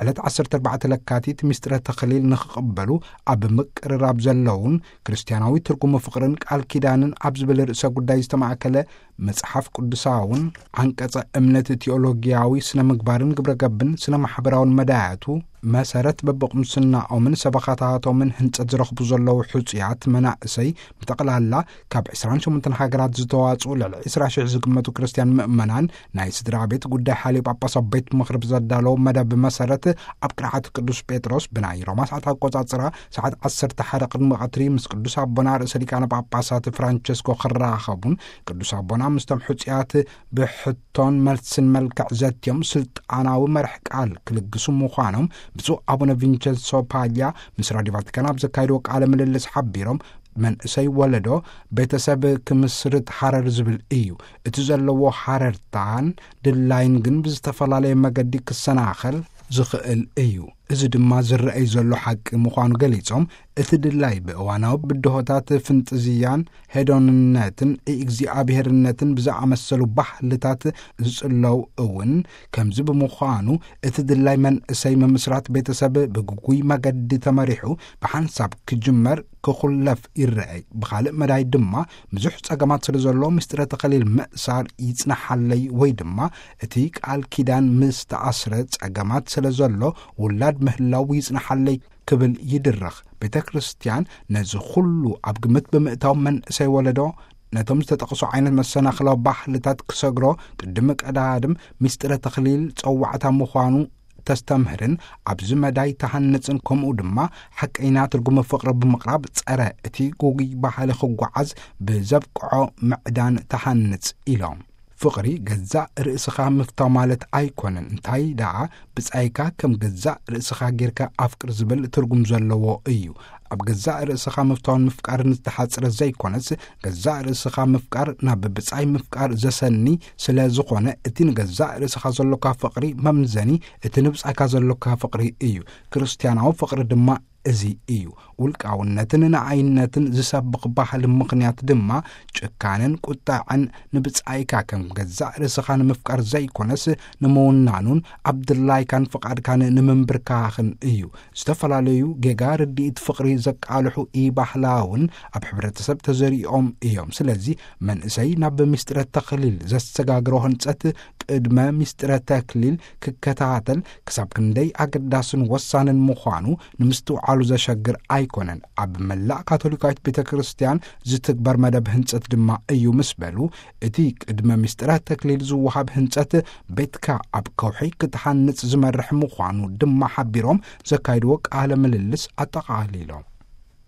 ዕለት ዓሰርተ ኣርባዕተ ለካቲት ምስጢረ ተኽሊል ንኽቕበሉ ኣብ ምቅርራብ ዘለውን፣ ክርስትያናዊ ትርጉም ፍቕርን ቃል ኪዳንን ኣብ ዝብል ርእሰ ጉዳይ ዝተማእከለ መጽሓፍ ቅዱሳውን፣ ዓንቀጸ እምነት፣ ቲኦሎጊያዊ ስነ ምግባርን ግብረ ገብን ስነ ማሕበራውን መዳያቱ መሰረት በብቕምስናኦምን ሰበኻታቶምን ህንጸት ዝረኽቡ ዘለዉ ሕጹያት መናእሰይ ብጠቕላላ ካብ ዕስራን ሸሞንተን ሃገራት ዝተዋጽኡ ልዕሊ ዕስራ ሽሕ ዝግመቱ ክርስትያን ምእመናን፣ ናይ ስድራ ቤት ጉዳይ ሓልዮ ጳጳሳት ቤት ምኽሪ ብዘዳለዎ መደብ መሰረት፣ ኣብ ቅርዓት ቅዱስ ጴጥሮስ ብናይ ሮማ ሰዓት ኣቆጻጽራ ሰዓት ዓሰርተ ሓደ ቅድሚ ቀትሪ ምስ ቅዱስ ኣቦና ርእሰ ሊቃነ ጳጳሳት ፍራንቸስኮ ክራኸቡን፣ ቅዱስ ኣቦና ምስቶም ሕጹያት ብሕቶን መልስን መልክዕ ዘትዮም ስልጣናዊ መርሕ ቃል ክልግሱ ምዃኖም ብፁዕ ኣቡነ ቪንቸንሶ ፓያ ምስ ራዲዮ ቫቲካን ኣብ ዘካየድዎ ቃለ ምልልስ ሓቢሮም፣ መንእሰይ ወለዶ ቤተሰብ ክምስርት ሃረር ዝብል እዩ። እቲ ዘለዎ ሃረርታን ድላይን ግን ብዝተፈላለየ መገዲ ክሰናኸል ዝኽእል እዩ። እዚ ድማ ዝረኣይ ዘሎ ሓቂ ምዃኑ ገሊጾም፣ እቲ ድላይ ብእዋናዊ ብድሆታት ፍንጥዝያን ሄዶንነትን እግዚኣብሔርነትን ብዝኣመሰሉ ባህልታት ዝጽለው እውን፣ ከምዚ ብምዃኑ እቲ ድላይ መንእሰይ ምምስራት ቤተሰብ ብግጉይ መገዲ ተመሪሑ ብሓንሳብ ክጅመር ክኹለፍ ይረኣይ። ብኻልእ መዳይ ድማ ብዙሕ ጸገማት ስለ ዘሎ ምስጢረ ተኸሊል ምእሳር ይጽናሓለይ ወይ ድማ እቲ ቃል ኪዳን ምስ ተኣስረ ጸገማት ስለ ዘሎ ውላድ ምህላው ይጽናሓለይ ክብል ይድረኽ። ቤተ ክርስቲያን ነዚ ኩሉ ኣብ ግምት ብምእታው መንእሰይ ወለዶ ነቶም ዝተጠቕሱ ዓይነት መሰናኽላዊ ባህልታት ክሰግሮ ቅድሚ ቀዳድም ምስጢረ ተኽሊል ጸዋዕታ ምዃኑ ተስተምህርን ኣብዚ መዳይ ተሃንጽን፣ ከምኡ ድማ ሓቀይና ትርጉም ፍቕሪ ብምቕራብ ጸረ እቲ ጉጉይ ባህሊ ክጓዓዝ ብዘብቅዖ ምዕዳን ተሃንጽ ኢሎም። ፍቕሪ ገዛእ ርእስኻ ምፍታው ማለት ኣይኮነን፣ እንታይ ደኣ ብጻይካ ከም ገዛእ ርእስኻ ጌርካ ኣፍቅር ዝብል ትርጉም ዘለዎ እዩ። ኣብ ገዛእ ርእስኻ ምፍታውን ምፍቃርን ዝተሓጽረ ዘይኮነስ፣ ገዛእ ርእስኻ ምፍቃር ናብ ብጻይ ምፍቃር ዘሰኒ ስለ ዝኾነ፣ እቲ ንገዛእ ርእስኻ ዘሎካ ፍቕሪ መምዘኒ እቲ ንብጻይካ ዘሎካ ፍቕሪ እዩ። ክርስትያናዊ ፍቕሪ ድማ እዚ እዩ። ውልቃውነትን ንዓይነትን ዝሰብኽ ባህሊ ምኽንያት ድማ ጭካነን ቁጣዐን ንብጻይካ ከም ገዛእ ርእስኻ ንምፍቃር ዘይኮነስ ንምውናኑን ኣብ ድላይካን ፍቓድካን ንምንብርካኽን እዩ። ዝተፈላለዩ ጌጋ ርድኢት ፍቕሪ ዘቃልሑ ኢባህላውን ኣብ ሕብረተሰብ ተዘሪኦም እዮም። ስለዚ መንእሰይ ናብ ምስጢረ ተኽሊል ዘሰጋግሮ ህንጸት ቅድመ ምስጢረ ተክሊል ክከታተል ክሳብ ክንደይ ኣገዳስን ወሳንን ምዃኑ ንምስትውዓሉ ዘሸግር ኣይኮነን። ኣብ መላእ ካቶሊካዊት ቤተ ክርስቲያን ዝትግበር መደብ ህንጸት ድማ እዩ ምስ በሉ፣ እቲ ቅድመ ምስጢረ ተክሊል ዝወሃብ ህንጸት ቤትካ ኣብ ከውሒ ክትሃንጽ ዝመርሕ ምዃኑ ድማ ሓቢሮም ዘካይድዎ ቃለ ምልልስ ኣጠቓሊሎም።